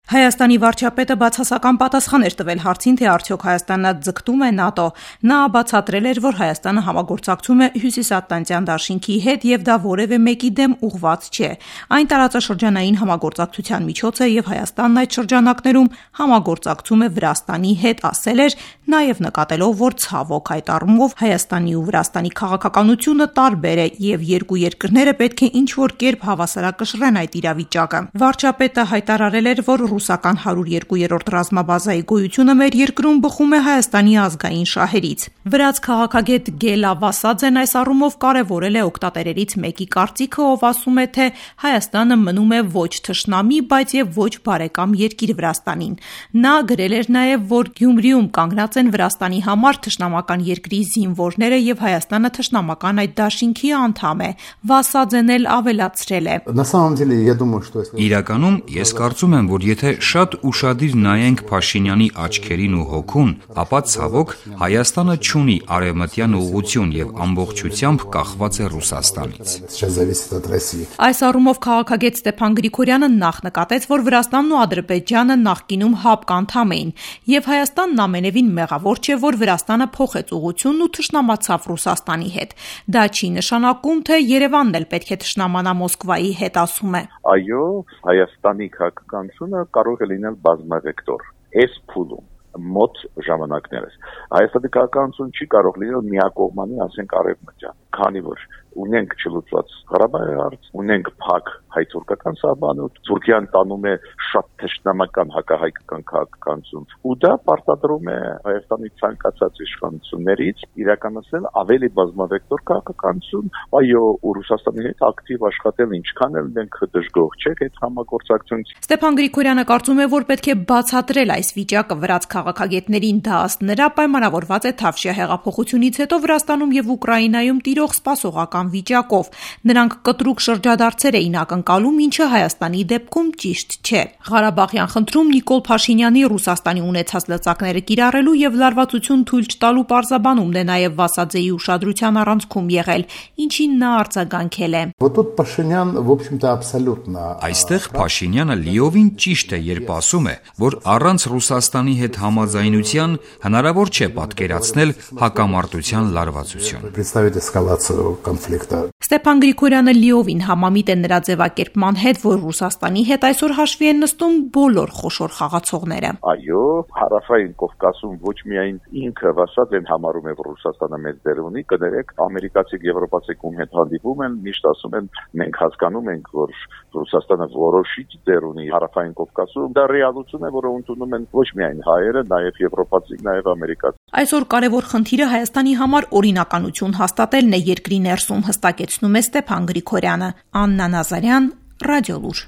Հայաստանի վարչապետը բացասական պատասխան էր տվել հարցին, թե արդյոք Հայաստանը ձգտում է ՆԱՏՕ։ Նա բացատրել էր, որ Հայաստանը համագործակցում է Հյուսիսատլանտյան դաշինքի հետ եւ դա որևէ մեկի դեմ ուղղված չէ։ Այն տարածաշրջանային համագործակցության միջոց է եւ Հայաստանն այդ շրջանակներում համագործակցում է Վրաստանի հետ, ասել էր, նաեւ նկատելով, որ ցավոք այդ առումով Հայաստանի ու Վրաստանի քաղաքականությունը տարբեր է եւ երկու երկրները պետք է ինչ-որ կերպ հավասարակշռեն այդ իրավիճակը։ Վարչապետը հայտարարել էր, որ ռուսական 102-րդ ռազմաբազայի գոյությունը մեր երկրում բխում է Հայաստանի ազգային շահերից։ Վրաց քաղաքագետ Գելա Վասաձեն այս առումով կարևորել է օգտատերերից մեկի կարծիքը, ով ասում է, թե Հայաստանը մնում է ոչ թշնամի, բայց եւ ոչ բարեկամ երկիր Վրաստանին։ Նա գրել էր նաեւ, որ Գյումրիում կանգնած են Վրաստանի համար թշնամական երկրի զինվորները եւ Հայաստանը թշնամական այդ դաշինքի անդամ է։ Վասաձեն էլ ավելացրել է. Իրականում ես կարծում եմ, որ եթե շատ ուշադիր նայենք Փաշինյանի աչքերին ու հոգուն, ապա ցավոք Հայաստանը չունի արևմտյան ուղղություն եւ ամբողջությամբ կախված է Ռուսաստանից։ Այս առումով քաղաքագետ Ստեփան Գրիգորյանը նախ նկատեց, որ Վրաստանն ու Ադրբեջանը նախկինում ՀԱՊԿ անդամ էին, եւ Հայաստանն ամենևին մեղավոր չէ, որ Վրաստանը փոխեց ուղղությունն ու թշնամացավ Ռուսաստանի հետ։ Դա չի նշանակում, թե Երևանն էլ պետք է թշնամանա Մոսկվայի հետ, ասում է։ Այո, Հայաստանի քաղաքականությունը կարող է լինել բազմավեկտոր։ Այս փուլում մոտ ժամանակներս Հայաստանի քաղաքականությունը չի կարող լինել միակողմանի, ասենք արևմտյան, քանի որ ունենք չլուծված Ղարաբաղի հարց, ունենք փակ հայ-թուրքական սահմանոց, Թուրքիան տանում է շատ թշնամական հակահայկական քաղաքականություն, ու դա պարտադրում է Հայաստանի ցանկացած իշխանություններից իրականացնել ավելի բազմավեկտոր քաղաքականություն, այո, ու Ռուսաստանի հետ ակտիվ աշխատել, ինչքան էլ մենք դժգոհ չենք այդ համագործակցությունից։ Ստեփան Գրիգորյանը կարծում է, որ պետք է բացատրել այս վիճակը վրաց քաղաքագետներին, դա ըստ նրա պայմանավորված է Թավշյա հեղափոխությունից հետո Վրաստանում եւ Ուկրաինայում տիրող սպասողական վիճակով։ Նրանք կտրուկ շրջադարձեր էին ակնկալում, ինչը Հայաստանի դեպքում ճիշտ չէ։ Ղարաբաղյան խնդրում Նիկոլ Փաշինյանի Ռուսաստանի ունեցած լծակները կիրառելու եւ լարվածություն թույլ չտալու պարզաբանումն է նաեւ Վասաձեի ուշադրության առանցքում եղել, ինչին նա արձագանքել է. Այստեղ Փաշինյանը լիովին ճիշտ է, երբ ասում է, որ առանց Ռուսաստանի հետ համաձայնության հնարավոր չէ պատկերացնել հակամարտության լարվածություն։ Ստեփան Գրիգորյանը լիովին համամիտ է նրա ձևակերպման հետ, որ Ռուսաստանի հետ այսօր հաշվի են նստում բոլոր խոշոր խաղացողները։ Այո, Հարավային Կովկասում ոչ միայն ինքը Վասաձեն համարում է, որ Ռուսաստանը մեծ դեր ունի, կներեք, ամերիկացի, եվրոպացի ում հետ հանդիպում են, միշտ ասում են, մենք հասկանում ենք, որ Ռուսաստանը որոշիչ դեր ունի Հարավային Կովկասում, դա ռեալություն է, որը ընդունում են ոչ միայն հայերը, նաև եվրոպացի, նաև ամերիկացի։ Այսօր կարևոր խնդիրը Հայաստանի համար օրինականություն հաստատելն է երկրի ներսում, հստակեցնում է Ստեփան Գրիգորյանը։ Աննա Նազարյան, Ռադիոլուր։